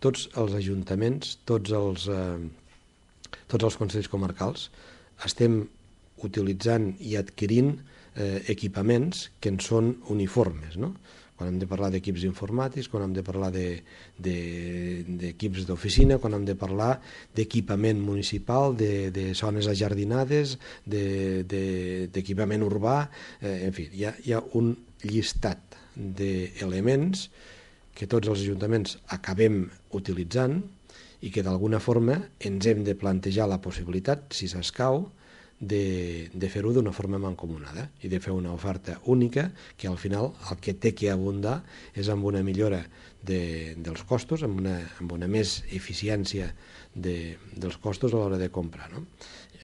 tots els ajuntaments, tots els consells comarcals, estem utilitzant i adquirint equipaments que en són uniformes, no? Quan hem de parlar d'equips informàtics, quan hem de parlar d'equips d'oficina, quan hem de parlar d'equipament municipal, de zones ajardinades, d'equipament urbà, en fi, hi ha un llistat d'elements que tots els ajuntaments acabem utilitzant i que d'alguna forma ens hem de plantejar la possibilitat, si s'escau, de fer-ho d'una forma mancomunada i de fer una oferta única que al final el que té que abundar és amb una millora dels costos, amb una més eficiència dels costos a l'hora de comprar, no?